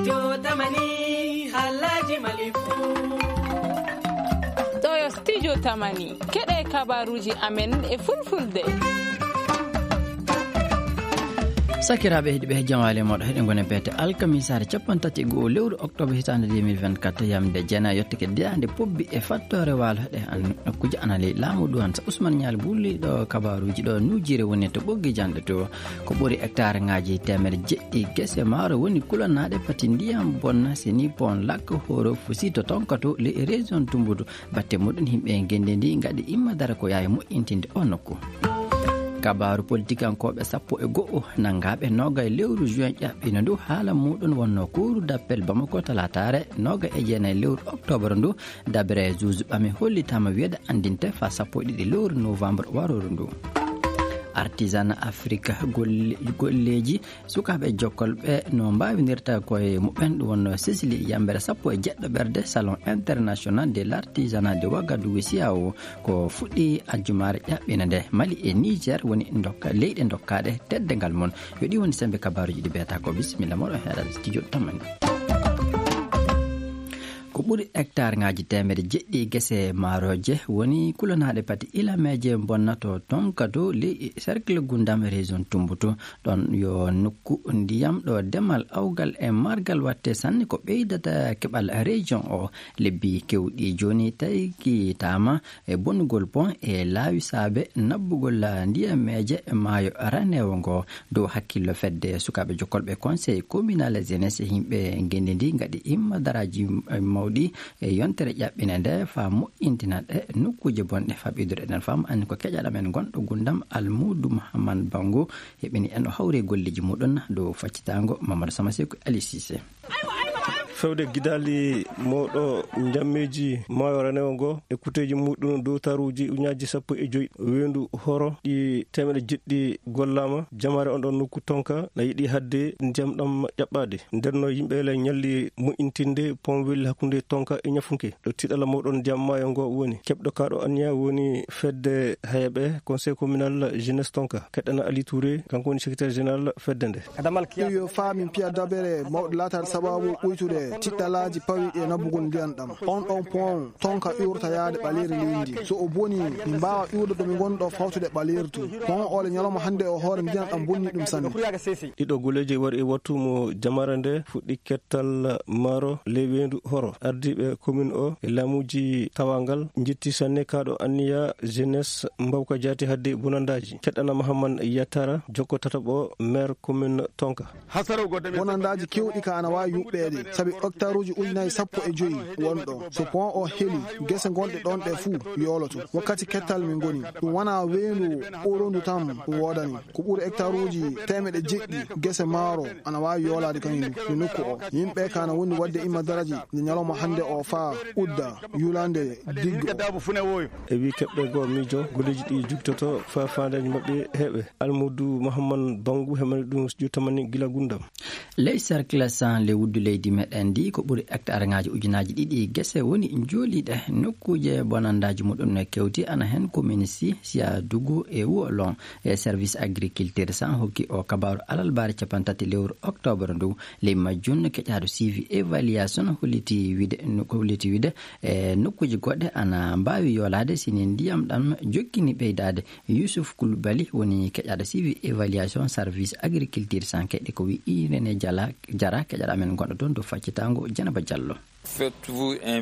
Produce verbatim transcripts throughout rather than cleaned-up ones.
Studio Tamani, haalaaji Mali fuu. Ɗoo yo Studio Tamani, keɗee kabaaruuji amen e Fulfulde. Sakiraaɓe heɗiiɓe, jam wali e mooɗon. Hiɗen ngoni e beete alkamisaare cappanɗe tati e go'o lewru oktoobar hitaande deux mille vingt-quatre, yamnde jeenayi yottake daande Pobbi e fattoore waalo. Ɗee an nokkuuje ana ley laamu Duwan. Sa Usman Ñaali buuliiɗo kabaaruuji ɗoo Nuujiire woni to ɓoggi janɗe to. Ko ɓuri hektaarŋaaji teemedde jeɗɗi gese maaro woni kulanaaɗe pati ndiyam bonna, seni pon lakka horo fusi to tonka to ley région Tumbutu. Batte muɗum yimɓe ngenndi ndi ngaɗi imma dara ko yawi moƴƴintinde o nokku. Kabaaru politikankooɓe sappo e go'o nanngaaɓe noogay lewru juin ƴaɓɓino ndu. Haala muɗum wonno Cour d'appel Bamako talaataare noogay e jeenayi lewru oktoobar ndu. Dabere juge ɓami hollitaama wiyeede anndinte faa sappo e ɗiɗi lewru novembre warooru ndu. Artisanat Afrique golle-, golleeji sukaaɓe jokkolɓe no mbaawinirta koye muɓɓen. Ɗum wonno Sicily yambere sappo e jeɗɗo ɓerde Salon International de l'Artisanat de Ouagadougou, siyawo, ko fuɗɗi aljumaare ƴaɓɓina nde. Mali e Niger woni ndokka-, leyɗe dokkaaɗe teddungal mum. Yo ɗi woni sembe kabaaruuji ɗi beeta ko. Bisimilla mooɗon heɗaade studio Tamani. Ko ɓuri hektaarŋaaji teemedde jeɗɗi gese maarooje woni kulanaaɗe pati ilameeje bonna to tonka to ley cercle Gundam région Tumbutu. Ɗon yo nokku ndiyam ɗo demal awgal e margal watte sanne ko ɓeydata keɓal région o. Lebbi kewɗi jooni taykitaama e bonnugol pon e laawi saabe nabbugol ndiyameeje maayo raneewo ngo. Dow hakkillo fedde sukaaɓe jokkolɓe conseil communal jeunesse, yimɓe ngenndi ndi ngaɗi imma daraaji mawɗi e yontere ƴaɓɓine nde faa moƴƴintina ɗe nokkuuje bonɗe. Faa ɓeydude eɗen faama anni ko keƴaɗo men gonɗo Gundam Almuudu Muhammad Bango heɓini en o hawri e golleeji muɗum dow faccitaango Mamadou Sama Seku Ali Cissé. Fewde gidaali mawɗo njammeeji maayo raneewo ngo e kuteeji muɗum dow taruuji ujunnaaji sappo e joy weendu horo ɗi teemedde jeɗɗi gollaama, jamaare on ɗon nokku tonka na yiɗi hadde ndiyam ɗam ƴaɓɓaade. Nden no yimɓe le ñalli moƴƴintinde pon welli hakkunde tonka e ñafunke. Ɗo tiɗalla mawɗon ndiyam maayo ngo woni. Keɓɗo kaaɗo anniya woni fedde hayaɓe, conseil communal jeunesse tonka. Keɗɗana Ali Touré, kanko woni secrétaire général fedde nde. Ɗum yo faa min piya dabere mawɗo laataade sabaabu ɓuytude tiɗɗalaaji pawiiɗi e nabbugol ndiyan ɗam. On ɗon pon tonka iwrata yaade ɓaleeri leydi. So o bonii, min mbaawa iwde ɗo min ngoni ɗo fawtude ɓaleeri to. Pon ole ñalawma hannde o hoore ndiyan ɗam bonni ɗum sanne. Ɗiɗo golleeji waɗi e wattu mo jamaare nde fuɗɗi kettal maaro ley weendu horo. Ardiiɓe commune o e laamuuji tawaagal njetti sanne kaaɗo anniya jeunesse Mbawka Jaati hadde bonandaaji. Keɗɗana Mahamman Yatara, jokko tataɓo maire commune Tonka. Bonandaaji keewɗi ka ana waawi yuɓɓeede, sabi hektaruuji ujunaaji sappo e joy won ɗo. So pon o heli, gese gonɗe ɗon ɗe fuu yooloto. Wakkati kettal min ngoni, ɗum wanaa weendu ɓurondu tan ɗum woodani. Ko ɓuri hektaruuji teemeɗɗe jeɗɗi gese maaro ana waawi yoolaade kañum e nokku o. Yimɓe ka ana wondi waɗde imma daraji nde ñalawma hannde o faa udda yulande diggo. E wii keɓɗe goo miijo golleeji ɗi jugtoto faa faandeeji maɓɓe heɓe. Almuudu Mahamman Bangu hemani ɗum studio tamani gila Gundam. Ley cercle cent ley wuddu leydi meɗen ndi, ko ɓuri hectareŋaaji ujunaaji ɗiɗi gese woni njooliiɗe. Nokkuuje bonandaaji muɗum no kewti, ana hen commune si, Siyadugu e Wolon. E service agriculture cent hokki o kabaaru alarbaare cappanɗe tati lewru oktoobar ndu. Ley majjum keƴaaɗo suivi évaluation holliti wiide, holliti wiide e nokkuuje goɗɗe ana mbaawi yoolaade si ni ndiyam ɗam jokkini ɓeydaade. Yusuf Kulbali woni keƴaaɗo suivi évaluation service agriculture cent keɗɗi ko wi'i René Jala, Jara, keƴaaɗo amen gonɗo toon to faccitaango Janaba Jallo.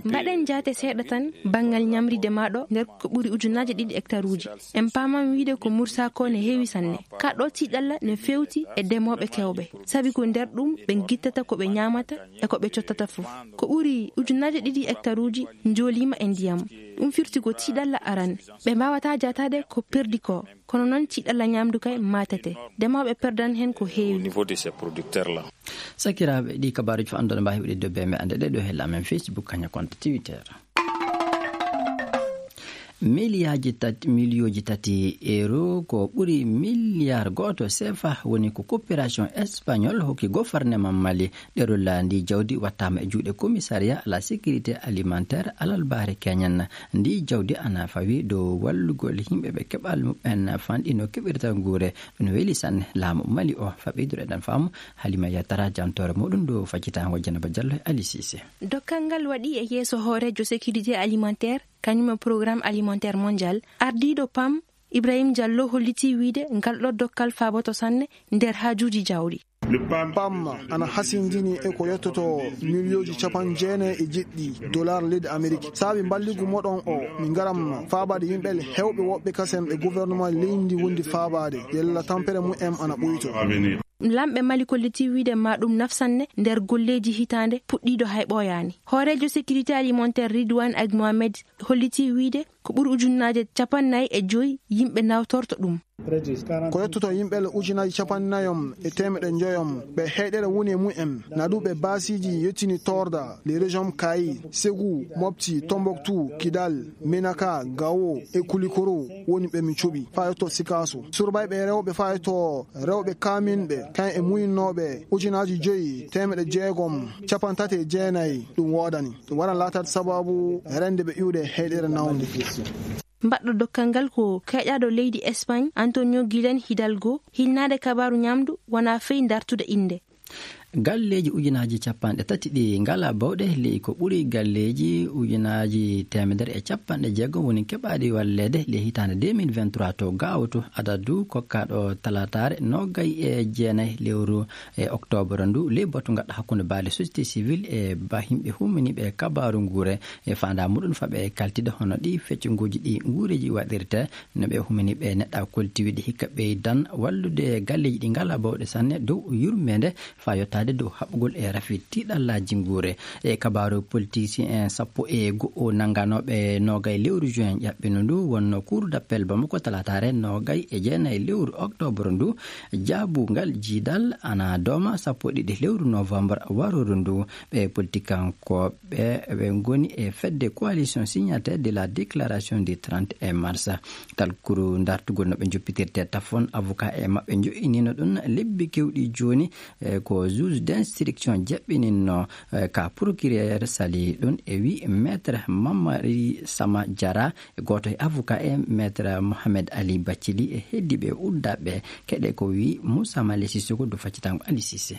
Mbaɗen jaate seeɗa tan banngal ñamri ndema ɗo nder ko ɓuri ujunaaji ɗiɗi hektaruuji. En paaman wiide ko mursaako ne heewi sanne. Ka ɗo tiiɗalla ne feewti e demooɓe kewɓe. Sabi ko nder ɗum ɓe ngittata ko ɓe ñaamata e ko ɓe cottata fof. Ko ɓuri ujunaaji ɗiɗi hektaruuji njooliima e ndiyam. Ɗum firti ko tiiɗalla aran. Ɓe mbaawataa jaataade ko perdi ko. Kono noon tiiɗalla ñaamdu kay maatete. Demooɓe perdan heen ko heewi. Au niveau de ces producteurs-là. Sakiraaɓe, ɗi kabaaruuji fof annduɗo mbaawi heɓude dow bee meɗen ɗe ɗo hella amen Facebook, kañum e compte Twitter. Miliyaaji tati miliyooji tati euro ko ɓuri miliyaar gooto sefa woni ko koperasion español hokki goforneman mali. Ɗerol ndii jawdi wattaama e juuɗe komisariya ala sekirite alimentaire alalbaare keñan. Ndii jawdi ana fawi dow wallugol yimɓe ɓe keɓal muɓɓen fanɗi no keɓirta nguure. Ɗum weli sanne laamu mali o faɓɓiduɗo eɗen faamu. Halima yatara jantoore muɗum dow faccitaango janaba jallo e ali sise. Dokkal ngal waɗi e yeeso hooreejo sécurité alimentaire, kañum e programme alimentaire mondial. Ardiiɗo pam, ibrahim diallo hollitii wiyde ngal ɗo dokkal faaboto sanne nder haajuuji jawɗi. Pam ana hasindini e ko yottoto miliyooji capanɗe jeenayi e jeɗɗi dolar leydi amerik. Saabi mballigu moɗon o, min ngaram faabaade yimɓe heewɓe woɓɓe kasen ɓe gouvernement leydi wondi faabaade yella tampere mumen ana ɓuyto. Lamɓe mali kollitii wiyde ma ɗum nafsanne nder golleeji hitaande puɗɗiiɗo hay ɓooyaani. Hooreejo sécurité alimentaire ridwan ag mohamed hollitii wiyde ko ɓuri ujunnaaje capannay e joy yimɓe nawtorto ɗum. Ko yettoto yimɓe ujunaaji capannayom e teemeɗe njoyom ɓe heyɗere woni e mumen, naduɓe baasiiji yettini torda les régions kayi, segu, mopti, tomboktu, kidal, menaka, gawo e kulikoro. Woni ɓe min cuɓi faa yetto sikaaso surbayɓe rewɓe faa yetto rewɓe kaaminɓe kayen e muyinnooɓe ujunaaji joyi teemeɗe jeegom capantati e jeenayi. Ɗum woodani ɗum waran laataade sabaabu rende ɓe iwde heyɗere nawnde. Mbaɗɗo dokkal ngal ko keeƴaaɗo leydi espagne antonio guilen hidalgo hilnaade kabaaru ñamdu wonaa fey dartude innde. Galleeji ujunaaji capanɗe tati ɗi ngalaa bawɗe ley ko ɓuri galleeji ujunaaji teemedere e capanɗe jeegom woni keɓaaɗi walleede ley hitaande deux mille vingt-trois to gaawto adadu kokkaaɗo talaataare noogay e jeenay lewru e oktoobar ndu ley batu ngaɗɗo hakkunde baali société civile e ba yimɓe humminiiɓe e kabaaru nguure e faandaa muɗum faɓe kaltide hono ɗi feccuguuji ɗi nguureeji waɗirte. No ɓe humini ɓe neɗɗa kolti wiɗi hikka ɓeydan wallude galleeji ɗi ngalaa bawɗe sanne dow yurmeende faa yottaade dow haɓugol e rafi tiiɗallaaji nguure. E kabaaru politisien sappo e go'o nannganooɓe noogay lewru juin ƴaɓɓino ndu wonno cour d'appel bamako talaataare noogay e jeenay lewru oktoobar ndu jaabungal jiidal ana dooma sappo e ɗiɗi lewru novembre warooru ndu. Ɓe politikankooɓe ɓe ngoni e fedde coalition signataire de la déclaration du trente et un mars. Talkuru dartugol no ɓe njoppitirte tafon avocat e maɓɓe njo'inino ɗum lebbi kewɗi jooni. Ko juge d'instruction jaɓɓininno ka procureur sali ɗum e wi maître mamari sama jara e gooto e avocat e maître mohamed ali bacili e heddiɓe uddaɓe keɗe ko wi moussa mali sissoko do faccitango ali sisse.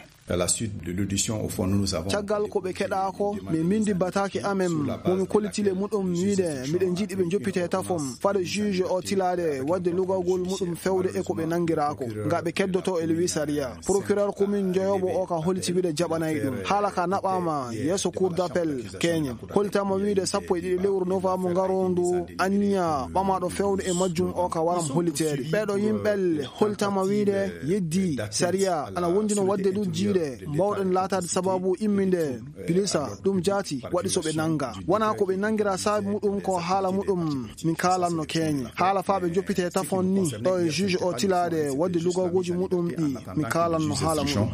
Caggal ko ɓe keɗaako min mbinndi bataake amen mo mi kollitile muɗum wiide miɗen njiɗi ɓe njoppitee tafom fade juge o tilaade waɗde lugagol muɗum fewde e ko ɓe nanngiraako nga ɓe keddoto e lewi sariya. Procureur komin njoyoobo o ka holliti wiide jaɓanay ɗum haala ka naɓaama yeeso cour d'appel keñe. Hollitaama wiide sappo e ɗiɗi lewru novembre ngaroondu anniya ɓamaaɗo fewde e majjum o ka waram holliteede ɓeeɗo yimɓel. Hollitaama wiide yeddi sariya ana wondino waɗde ɗum jiiɗe mbawɗen laataade sababu imminde pilisa ɗum jaati waɗi so ɓe nannga wonaa ko ɓe nanngira saabi muɗum ko haala muɗum. Min kaalanno keeñe haala faa ɓe njoppitee tafon ni ɗo e juge o tilaade waɗde lugagooji muɗum ɗi. Min kaalanno haala muɗum.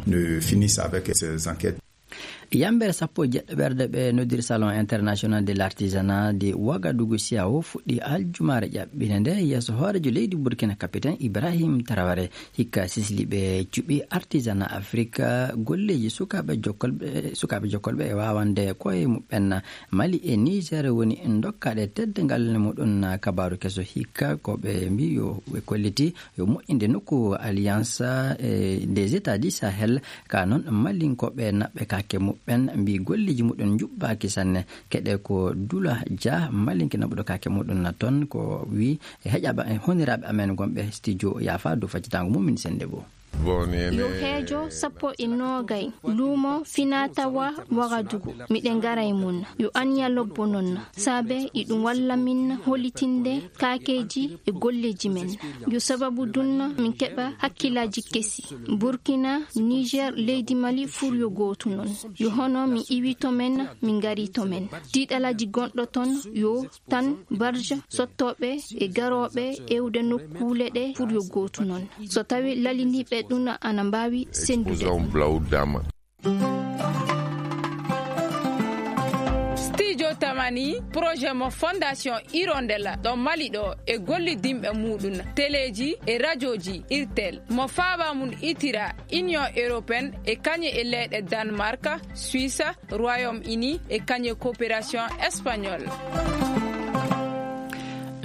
Yambere sappo e jeɗɗo ɓerde ɓe noddiri salon international de l'artisanat de wagadugu siawo fuɗɗi aljumaare ƴaɓɓinde nde yeeso hoorejo leydi burkina capitaine ibrahim taraware. Hikka sisli ɓe cuɓi artisana afrika golleeji sukaaɓe jokkolɓe sukaaɓe jokkolɓe e waawande koye muɓɓen. Mali e niger woni dokkaaɗe teddungal muɗum. Kabaaru keso hikka ko ɓe mbi yo ɓe kolliti yo moƴƴinde nokku alliance des états du sahel. Ka noon mallinkooɓe naɓɓe kaake muɓɓen mbi golleeji muɗum njuɓɓaaki sanne. Keɗe ko dula dia mallinke naɓuɗo kaake muɗum na toon ko wi e heƴaɓe e honiraaɓe amen gonɓe studio yaafa dow faccitaango mum min sennde goo. Yo heejo sappo e noogay luumo finaa tawa wagadugu miɗen ngara e mum. Yo anniya lobbo noon saabe iɗum walla min hollitinde kaakeeji e golleeji men. Yo sababu dunna min keɓa hakkillaaji kesi. Burkina, niger, leydi mali fur yo gootu noon. Yo hono min iwi to men min ngari to men. Tiiɗalaaji gonɗo toon yo tan barja sottooɓe e garooɓe ewde nokkuule ɗe fur yo gootu noon. So tawi lalindiiɓe ɗum ana mbaawi senndude. Stijo tama. Ni projet mo Fondation Hirondelle ɗo Mali ɗo e gollidinɓe muuɗum teleeji e rajooji Irtel mo faaba mum itira Union Européenne e kañe e leyɗe Danemark, Suisse, Royaume-Uni e kañe Coopération Espagnole.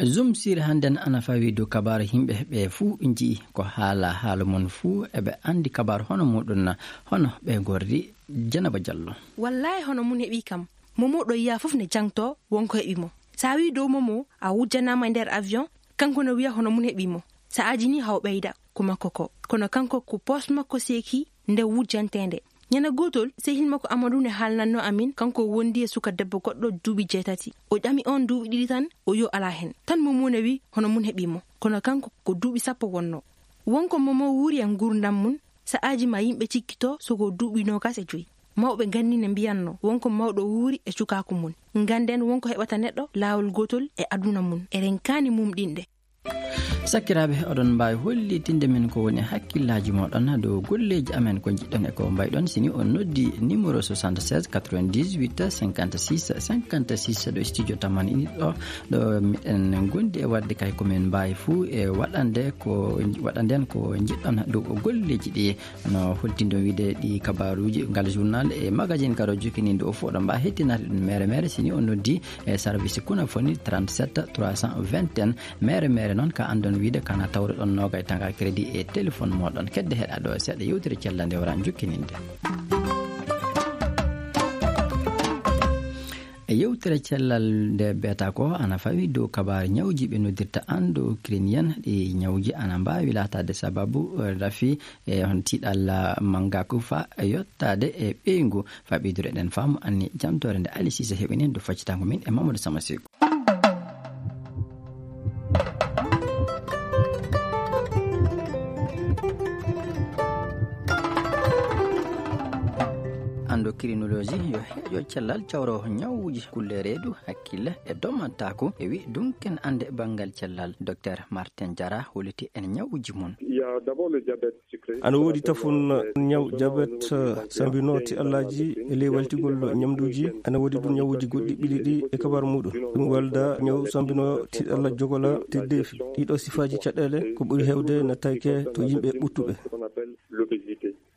Zum sir hannden ana fawi dow kabaaru yimɓe ɓe fuu nji'i ko haala haala mum fuu eɓe anndi kabaaru hono muuɗum na hono ɓe ngorri. Janaba Jallo. Wallaahi hono mum heɓii kam. Momo ɗo yiyaa fof ne jangtoo won ko heɓi mo. So a wii dow momo a wujjanaama e nder avion, kanko no wiya hono mum heɓii mo. So a ajinii haw ɓeyda ko makko ko. Kono kanko ko poos makko seekii nde wujjanteende. Ñande gootol sehil makko Amadu ne haalnannoo amin, kanko wondi e suka debbo goɗɗo duuɓi jeetati. O ƴami oon duuɓi ɗiɗi tan, o yo alaa heen. Tan momo ne wii hono mum heɓii mo. Kono kanko ko duuɓi sappo wonnoo. Won ko momo wuuri e nguurndam mum. Sa'aaji maa yimɓe cikkitoo soko duuɓi noogaas e joy. Mawɓe nganndi ne mbiyanno won ko mawɗo wuuri e cukaaku mum. Ngannden won ko heɓata neɗɗo laawol gootol e aduna mum. Eɗen kaani mumɗinde. Sakiraaɓe, oɗon mbaawi hollitinde min ko woni hakkillaaji mooɗon dow golleeji amen ko njiɗɗon e ko mbayɗon si ni on noddi numéro soixante-seize quatre-vingt-dix-huit cinquante-six cinquante-six ɗo studio Tamani ini ɗo. Ɗo miɗen ngondi e waɗde kay ko min mbaawi fuu e waɗande ko waɗanden ko njiɗɗon dow golleeji ɗi. No holtindo wiide ɗi kabaaruuji ngal journal e magazine karo jokkininde o fof ɗo mbaa hettinaade ɗum mere mere si ni on noddi e service kuna foni trente-sept trois cent vingt et un. Mere mere noon ka anndon wiide kana tawruɗon noogay tanga crédit e téléphone moɗon kedde heɗa ɗo seeɗa yewtere cellal nde wara jokkininde. E yewtere cellal nde beeta ko ana fawi dow kabaar ñawuuji ɓe noddirta andokirinien ɗi ñawuuji ana mbaawi laataade sababu rafi e hon tiiɗalla manngaku fa yottaade e ɓeyngu. Fa ɓeydude eɗen faamu anni jantoore nde Ali Sise heɓini ndu faccitango min e Mamadou Sama Seku. Andokirinoloji yo heeƴo cellal cawro ñawuuji kulle reedu hakkille e domantaku e wi dunken annde banngal cellal. Docteur Martin Jara holliti en ñawuuji mum. Ana woodi tafun ñaw jabet sambinoo tiɗallaaji e ley waltigol ñamduuji. Ana woodi ɗum ñawuuji goɗɗi ɓili ɗi e kabar muuɗum. Ɗum walda ñaw sambinoo tiɗalla jogola tirdeefi. Ɗiɗo sifaaji caɗeele ko ɓuri heewde nattayke to yimɓe ɓuttuɓe.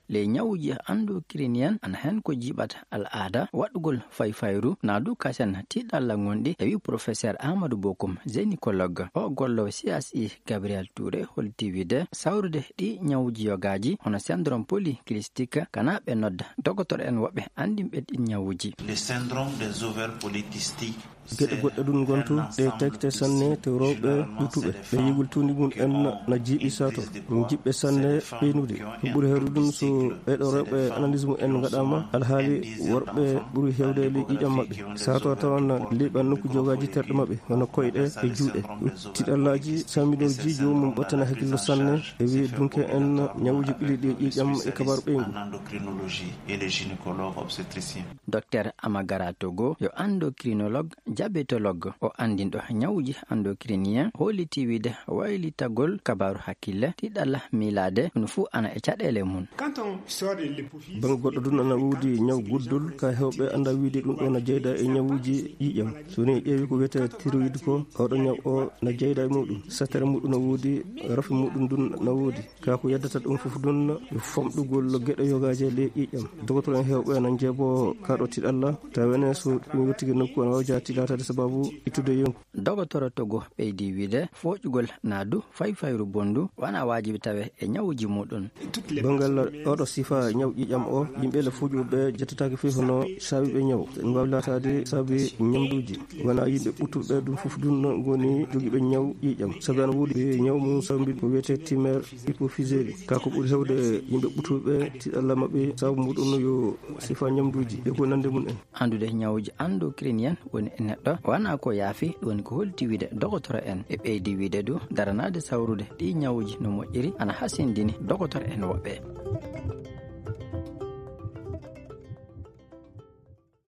Ley ñawuuji andokirinien ana hen ko jiɓata al aada waɗugol fayfayru naadu kasen tiɗalla ngonɗi e wi professeur Amadou Bokum, gynécologue o gollo C S I Gabriel Touré holti wiide sawrude ɗi ñawuuji yogaaji hono syndrome polycystique kana ɓe nodda dogotor'en woɓɓe anndinɓe ɗin ñawuuji. Le syndrome des ovaires polykystiques. Geɗe goɗɗe ɗun ngontu ɗe tagte sanne to rewɓe ɓuttuɓe ɓe yigol tuundi mum en na jiiɓi sato jiɓɓe sanne ɓeynude. Ɗum ɓuri heewde ɗum so ɓeeɗo rewɓe analyse mum en ngaɗaama alhaali worɓe ɓuri heewde ley ƴiiƴam maɓɓe. Sato a tawan ley ɓan nokku jogaaji terɗe maɓɓe hono koyɗe e juuɗe. Tiɗallaaji samminooji joomum ɓattana hakkillo sanne e wiye dunke en ñawuuji ɓili ɗi e ƴiiƴam e kabar ɓeyngu. Docteur Amagara Togo yo endocrinologue, diabétologue, o anndinɗo ñawuuji endocriniens, holliti wiide waylitagol kabaaru hakkille, tiɗalla miilaade, ɗum fuu ana e caɗeele mum. Bannge goɗɗo ɗum ana woodi ñaw guddol, ka heewɓe annda wiide ɗum ɗoo na jeyda e ñawuuji ƴiiƴam. So ni ƴeewi ko wiyetee thyroïde ko, oɗo ñaw o na jeyda e muuɗum. Sattere muuɗum no woodi, rafi muuɗum ndun na woodi. Kaa ko yeddata ɗum fof ɗun yo famɗugol geɗe yogaaji e ley ƴiiƴam. Dogotoro en heewɓe ana njeeboo kaa ɗoo tiɗalla, tawa enen so ɗum yottike nokku ana waawi jaati laataade sababu ittude yonki. Dogotoro Togo ɓeydi wiide fooƴugol naa du fayfayru bonndu wanaa waajibi tawe e ñawuuji muuɗum. Banngal oɗo sifa ñaw ƴiiƴam o, yimɓe le fooƴuɓe ɓe jettataake fii hono saabiiɓe ñaw. Ɗum waawi laataade saabi ñamduuji. Wonaa yimɓe ɓuttuɓe ɓe ɗum fof ɗum no ngoni jogiiɓe ñaw ƴiiƴam. Sabi ana woodi ñaw mum sawmbi ko wiyetee tumeur hypophysaire. Kaa ko ɓuri heewde yimɓe ɓuttuɓe ɓe tiɗalla maɓɓe sababu muɗum no yo sifa ñamduuji e ko nande mum en. Anndude ñawuuji endocriniens woni e neɗɗo wanaa ko yaafi, ɗum woni ko holti wiide dogotoro en. E ɓeydi wiide du daranaade sawrude ɗii ñawuuji no moƴƴiri ana hasindini dogotoro en woɓɓe.